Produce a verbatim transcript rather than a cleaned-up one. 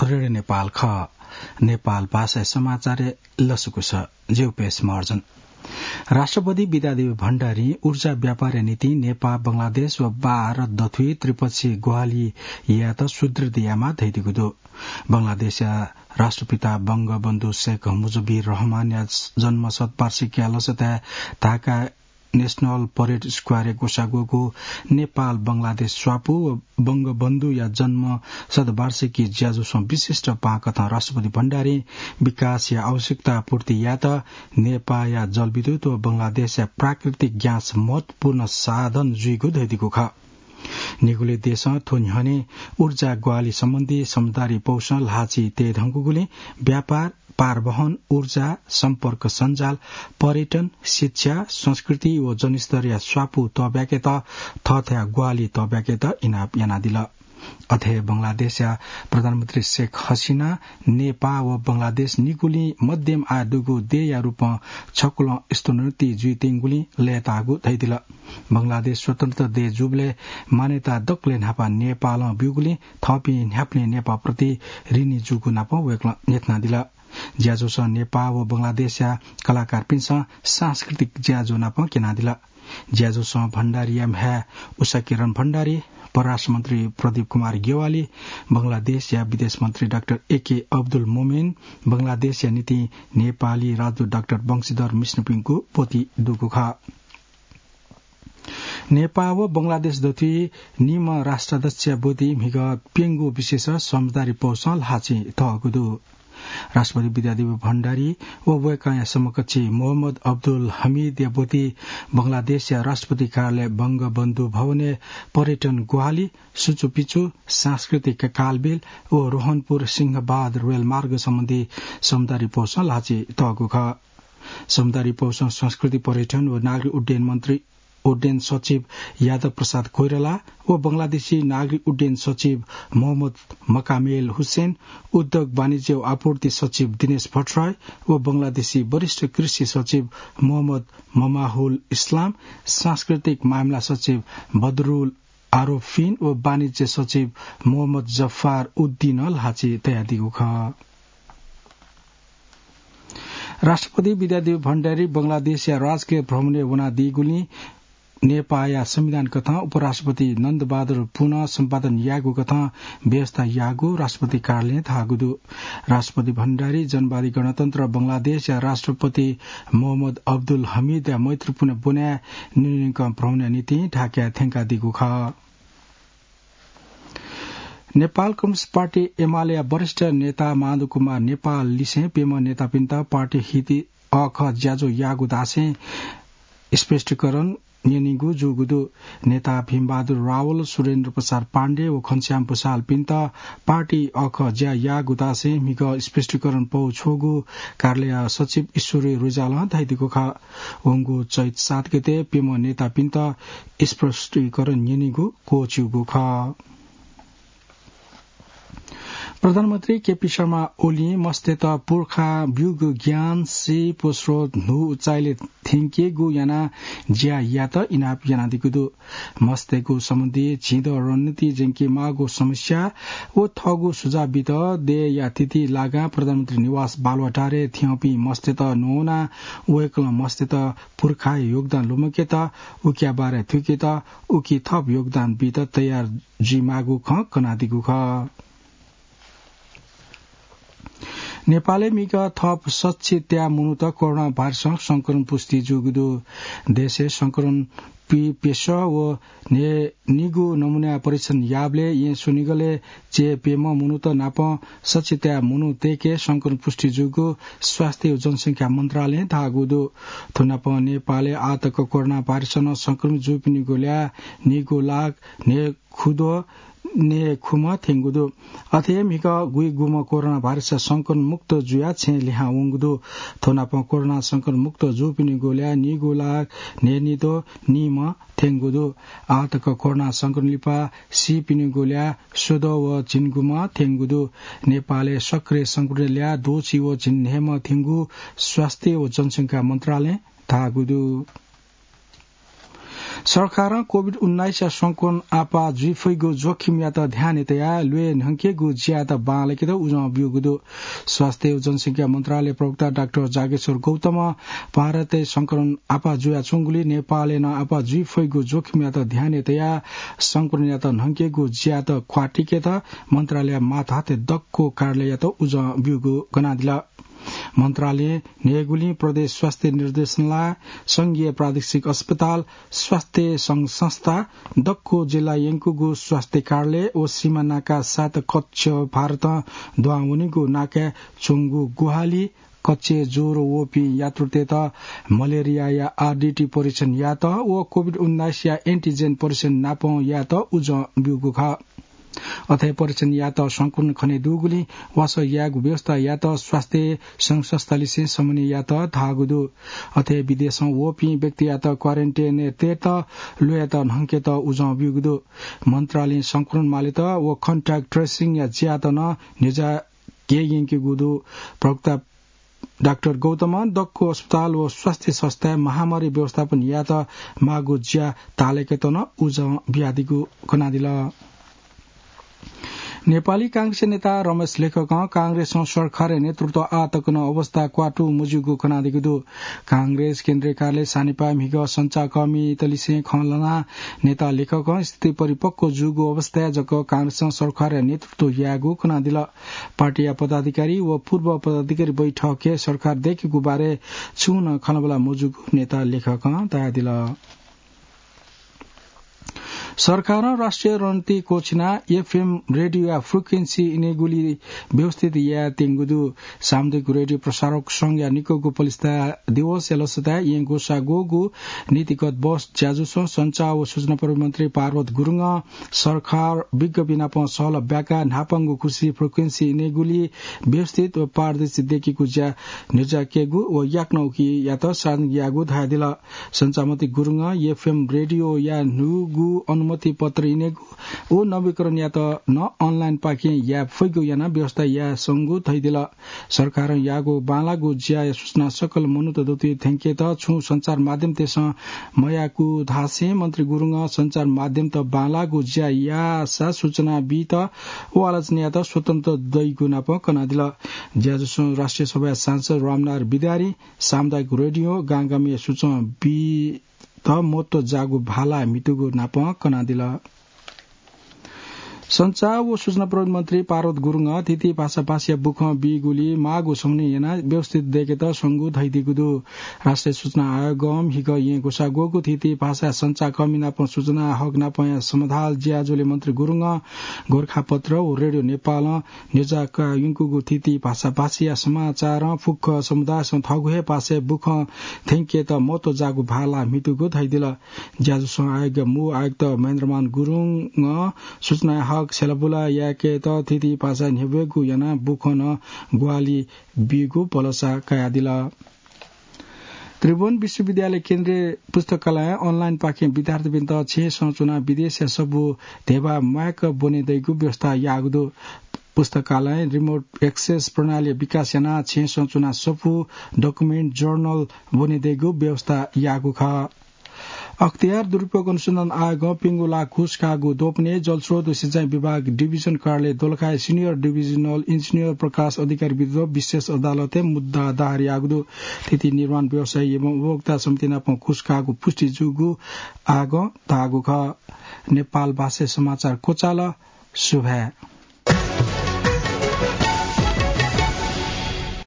रेडियो नेपाल खः। नेपाल भाषाया समाचारय् लसकुस। ज्यू पेश महर्जन। राष्ट्रपति विद्यादेवी भण्डारीं ऊर्जा व्यापारया निंतिं नेपाः, बंगलादेश व भारत दथुइ त्रिपक्षीय ग्वाहालि यायेत सुदृढ यायेमाः धयादीगु दु। बंगलादेशया राष्ट्रपिता बंगबन्धु शेख मुजिबुर रहमानया जन्म शतवार्षिकीया लसताय् ढाका National Parade Square-य् ग्वसाः ग्वःगु नेपाल बंगलादेश स्वापू व बंगबन्धुया जन्म शतवार्षिकी ज्याझ्वलय् विशिष्ट पाहां कथं राष्ट्रपति भण्डारीं विकासया आवश्यकता पूर्ति यायेत नेपाःया जलविद्युत व बंगलादेशया प्राकृतिक ग्यास महत्वपूर्ण साधन जुइगु धयादीगु खः। निगुलिं देशं थ्व न्ह्यःने ऊर्जा ग्वाहालि सम्बन्धी समझदारी पौसं ल्हाःचिं तये धुंकूगुलिं व्यापार, पारवहन, ऊर्जा, सम्पर्क सञ्जाल, पर्यटन, शिक्षा, संस्कृति व जनस्तरया स्वापू तःब्याकेत थःथाय् ग्वाहालि तःब्याकेत इनाप यानादिल। अथे हे बंगलादेशया प्रधानमन्त्री शेख हसिना नेपाः व बंगलादेश निगुलिं मध्यम आय दुगु देय्‌या रूपं छकुलं स्तरोन्नति जुइत्यंगुलिं लय्‌ताःगु धयादिल। बंगलादेश स्वतन्त्र देय् जूबलय् मान्यता दकलय् न्हापां नेपालं ब्यूगुलिं थःपिं न्ह्याबलें नेपाःप्रति ऋणी जूगु नापं वय्‌कलं न्ह्यथनादिल। ज्याझ्वलय् नेपाः व बंगलादेशया कलाकारपिन्सं सांस्कृतिक ज्याझ्वः नापं क्यनादिल। ज्याझ्वलय् भण्डारीया म्ह्याय् उषाकिरण भण्डारी, परराष्ट्र मन्त्री प्रदीप कुमार ज्ञवाली, बंगलादेशया विदेश मन्त्री डाक्टर एके अब्दुल मोमिन, बंगलादेशया निंतिं नेपाली राजदूत डाक्टर वंशीधर मिश्रपिंगु ब्वति दुगु खः। नेपाः व बंगलादेश दथुइ निम्ह राष्ट्राध्यक्षया ब्वति म्हिगः प्यंगू विशेष समझदारी पौसं ल्हाःचिं तःगु दु। राष्ट्रपति विद्यादेवी भण्डारी व वय्‌कःया समकक्षी मोहम्मद अब्दुल हमिदया ब्वति बंगलादेशया राष्ट्रपति कार्यालय बंगबन्धु भवनय् पर्यटन ग्वाहालि, सुचुपिचु, सांस्कृतिक कालबेल व रोहनपुर सिंहबाद रेलमार्ग सम्बन्धी समझदारी पौसं ल्हाःचिं तःगु खः। समझदारी पौसं संस्कृति, पर्यटन व नागरिक उड्डयन मन्त्री उड्डयन सचिव यादव प्रसाद कोइराला व बंगलादेशी नागरिक उड्डयन सचिव मोहम्मद मकामेल हुसेन, उद्योग वाणिज्य व आपूर्ति सचिव दिनेश भट्टराई व बंगलादेशी वरिष्ठ कृषि सचिव मोहम्मद ममाहुल इस्लाम, सांस्कृतिक मामिला सचिव बदरुल आरोफिन व वाणिज्य सचिव मोहम्मद जफ्फार उद्दिनं ल्हाःचिं तयादीगु खः। राष्ट्रपति विद्यादेवी भण्डारी बंगलादेशया राजकीय भ्रमणय् वनादीगुलिं नेपाःया संविधान कथं उपराष्ट्रपति नन्दबहादुर पुनं सम्पादन याःगु कथं व्यवस्था याःगु राष्ट्रपति कार्यालयं धाःगु दु। राष्ट्रपति भण्डारी जनवादी गणतन्त्र बंगलादेशया राष्ट्रपति मोहम्मद अब्दुल हमिदया मैत्रीपूर्ण ब्वनाय् न्यनेकं भ्रमणया निंतिं ढाकाय् थ्यंकादीगु खः। नेपाल कम्युनिस्ट पार्टी एमालेया वरिष्ठ नेता माधव कुमार नेपाल लिसें प्यम्ह नेतापिन्त पार्टी हित अःखः ज्याझ्वः याःगु धासें स्पष्टीकरण न्यनीगु जूगु दु। नेता भीमबहादुर रावल, सुरेन्द्र प्रसाद पाण्डे व घनश्याम भुसालपिन्त पार्टी अःखः ज्या याःगु धासें म्हिगः स्पष्टीकरण पौ छ्वःगु कार्यालय सचिव ईश्वरी रिजालं धयादीगु खः। वंगु चैत सात गते प्यम्ह नेतापिन्त स्पष्टीकरण न्यनीगु क्वःछिउगु खः। प्रधानमन्त्री केपी शर्मा ओलीं मस्तय्त पुर्खां ब्यूगु ज्ञान, सीप व स्रोत न्हू उचाइले थ्यंकेगु यानाः ज्या यायेत इनाप यानादीगु दु। मस्तय्गु सम्बन्धी झिंदँ रणनीति ज्यंकेमाःगु समस्या व थःगु सुझाव बीत देय्‌या तिथि लागां प्रधानमन्त्री निवास बालुवाटारय् थ्यंपिं मस्तय्त न्ववानाः वय्‌कलं मस्तय्त पुर्खाया योगदान लुमंकेत, उकिया बारे थुइकेत, उकी थप योगदान बीत तयार जुइमाःगु खँ कनादीगु खः। नेपालय् म्हिगः थप सच्छि त्याः मनूत कोरोना भाइरसं संक्रमण पुष्टि जूगु दु। देशय् संक्रमण पि-, प्यसः व न्हय् निगू नमूना परीक्षण याःबलय् येँ स्वनिगलय् च्यय् प्यम्ह मनूत नाप सच्छि त्याः मनूतय्के संक्रमण पुष्टि जूगु स्वास्थ्य व जनसंख्या मन्त्रालयं धाःगु दु। थ्व नाप नेपालय् आःतक कोरोना भाइरसं संक्रमित जूपिनिगु ल्याः निगू लाख न्हय् खुद्वः न्हय् खुम्ह थ्यंगु दु। अथे हे म्हिगः गुइगुम्ह कोरोना भाइरस संक्रमण मुक्त जुयाः छेँ लिहां वंगु दु। थ्व नाप कोरोना संक्रमण मुक्त जूपिनिगु ल्याः निगू लाख न्हय् निद्वः निम्ह थ्यंगु दु। आःतक कोरोना संक्रमण लिपा सीपिनिगु ल्याः स्वद्वः व झिंगुम्ह थ्यंगु दु। नेपालय् सक्रिय संक्रमित ल्याः द्वःछि व झिंन्हय्म्ह थ्यंगु स्वास्थ्य व जनसंख्या मन्त्रालयं धाःगु दु। सरकारं कोभिड उन्नाइसया संक्रमण आपाः जुइफइगु जोखिमयात ध्याने तयाः ल्वय् न्हंकेगु ज्यायात बांलाकेत उजं ब्यूगु दु। स्वास्थ्य व जनसंख्या मन्त्रालय प्रवक्ता डाक्टर जागेश्वर गौतमं भारतय् संक्रमण आपाः जुयाच्वंगुलिं नेपालय् नं आपाः जुइफइगु जोखिमयात ध्याने तयाः संक्रमणयात न्हंकेगु ज्यायात क्वातिकेत मन्त्रालय माथाते दक्व कार्यालययात उजं ब्यूगु कनादिल। मन्त्रालयं न्हय्गुलिं प्रदेश स्वास्थ्य निर्देशनालय, संघीय प्रादेशिक अस्पताल, स्वास्थ्य संघ संस्था, दक्व जिल्ला यंकूगु स्वास्थ्य कार्यालय व सीमा नाका सात कच्छ भारतं दुहां वनीगु नाकाय् च्वंगु ग्वाहालि, कच्छ ज्वरो वःपिं यात्रुतय्त मलेरियाया आरडीटी परीक्षण यायेत व कोभिड उन्नाइसया एन्टिजेन परीक्षण नापं यायेत उजं ब्यूगु खः। अथे परीक्षण यायेत संक्रमण खने दुगुलिं वासः यायेगु व्यवस्था यायेत स्वास्थ्य संघ संस्थालिसें समन्वय यायेत धाःगु दु। अथे विदेशं वःपिं व्यक्तियात क्वारेन्टाइनय् तयेत ल्वय्‌त न्हंकेत उजं ब्यूगु दु। मन्त्रालयं संक्रमण मालेत व कन्ट्याक्ट ट्रेसिङया ज्यायात नं न्ह्यज्याके यंकेगु दु। प्रवक्ता डाक्टर गौतमं दक्व अस्पताल व स्वास्थ्य संस्थाय् महामारी व्यवस्थापन यायेत माःगु ज्या ताःलाकेत नं उजं बियादीगु कनादिल। नेपाली कांग्रेस नेता रमेश लेखकं कांग्रेसं सरकारया नेतृत्व आः तक नं अवस्था क्वातु मज्यूगु कनादीगु दु। कांग्रेस केन्द्रीय कार्यालय सानिपाय् म्हिगः सञ्चारकर्मीतलिसें खँ ल्हानाः नेता लेखकं स्थिति परिपक्व जूगु अवस्थाय् जक कांग्रेसं सरकारया नेतृत्व यायेगु कनादिल। पार्टीया पदाधिकारी व पूर्व पदाधिकारी बैठकय् सरकार दयेकेगु बारे छुं नं खँल्हाबल्हा मजूगु नेता लेखकं धयादिल। सरकारं राष्ट्रिय रणनीति क्वःछिनाः एफएम रेडियोया फ्रिक्वेन्सी इनेगुली व्यवस्थित यायेत्यंगु दु। सामुदायिक रेडियो प्रसारक संघया निक्वःगु पलिस्था दिवसया लसताय् येँ ग्वसाः ग्वःगु नीतिगत बस ज्याझ्वलय् सञ्चार व सूचना प्रविधि मन्त्री पार्वत गुरुङं सरकार विज्ञपिं नाप सहलह ब्याकाः न्हापांगु खुसि फ्रिक्वेन्सी इनेगुली व्यवस्थित व पारदर्शी दयेकेगु ज्या न्ह्यज्याकेगु व याकनं उकियात सार्वजनिक याःगु धयादिल। सञ्चार मन्त्री गुरुङं एफएम रेडियोया न्हूगु अनुमति पत्र इनेगु व नवीकरणयात नं अनलाइनपाखें याये फइगु यानाः व्यवस्था याये संगु धयादिल। सरकारं याःगु बांलाःगु ज्याया सूचना सकल मनूत दथुइ थ्यंकेत छुं सञ्चार माध्यमतय्सं मयाःगु धासें मन्त्री गुरुङं सञ्चार माध्यमत बांलाःगु ज्या याःसा सूचना बीत व आलोचना यायेत स्वतन्त्र दइगु नाप कनादिल। ज्याझ्वलय् राष्ट्रिय सभाया सांसद रामनारायण विद्यारी सामुदायिक रेडियो गांगामय् सूचना बीत महत्व जाःगु भाला म्हितुगु नाप कनादिल। सञ्चार व सूचना प्रविधि मन्त्री पार्वत गुरुङं थीथी भाषाभाषीया बुखँ बीगुली माःगु समन्वय यानाः व्यवस्थित दयेकेत संगु धयादीगु दु। राष्ट्रिय सूचना आयोगं म्हिगः येँ ग्वसाः ग्वःगु थीथी भाषाया सञ्चारकर्मी नाप सूचना हक नापया समाधान ज्याझ्वलय् मन्त्री गुरुङं गोरखापत्र व रेडियो नेपालं न्ह्यज्याका यंकूगु थीथी भाषाभाषीया समाचारं फुक्क समुदायसं थःगु हे भाषाय् बुखँ थ्यंकेत महत्व जाःगु भाला म्हितुगु धयादिल। ज्याझ्वलय् आयोगया मू आयुक्त महेन्द्रमान गुरुङं सूचना हक छ्यलाबुला यायेकेत थीथी भाषा न्ह्यब्वयेगु यानाः बुखँ नं ग्वाहालि बीगु भलसा कयादिल। त्रिभुवन विश्वविद्यालय केन्द्रीय पुस्तकालयं अनलाइनपाखें विद्यार्थीपिन्त छेँसं च्वनाः विदेशया सफू धेबा म्वायेक ब्वने दइगु व्यवस्था याःगु दु। पुस्तकालयं रिमोट एक्सेस प्रणाली विकास यानाः छेँसं च्वनाः सफू, डकुमेन्ट, जर्नल ब्वने दइगु व्यवस्था याःगु खः। अख्तियार दुरुपयोग अनुसन्धान आयोगं प्यंगू लाख घुस काःगु द्वपनय् जलस्रोत व सिँचाइ विभाग डिभिजन कार्यालय दोलखाया सिनियर डिभिजनल इन्जिनियर प्रकाश अधिकारी विरुद्ध विशेष अदालतय् मुद्दा दायर याःगु दु। थीथी निर्माण व्यवसायी एवं उपभोक्ता समिति नाप घुस काःगु पुष्टि जूगु आयोगं धाःगु खः। नेपाल भाषाय् समाचार क्वचाल। सुभाय्।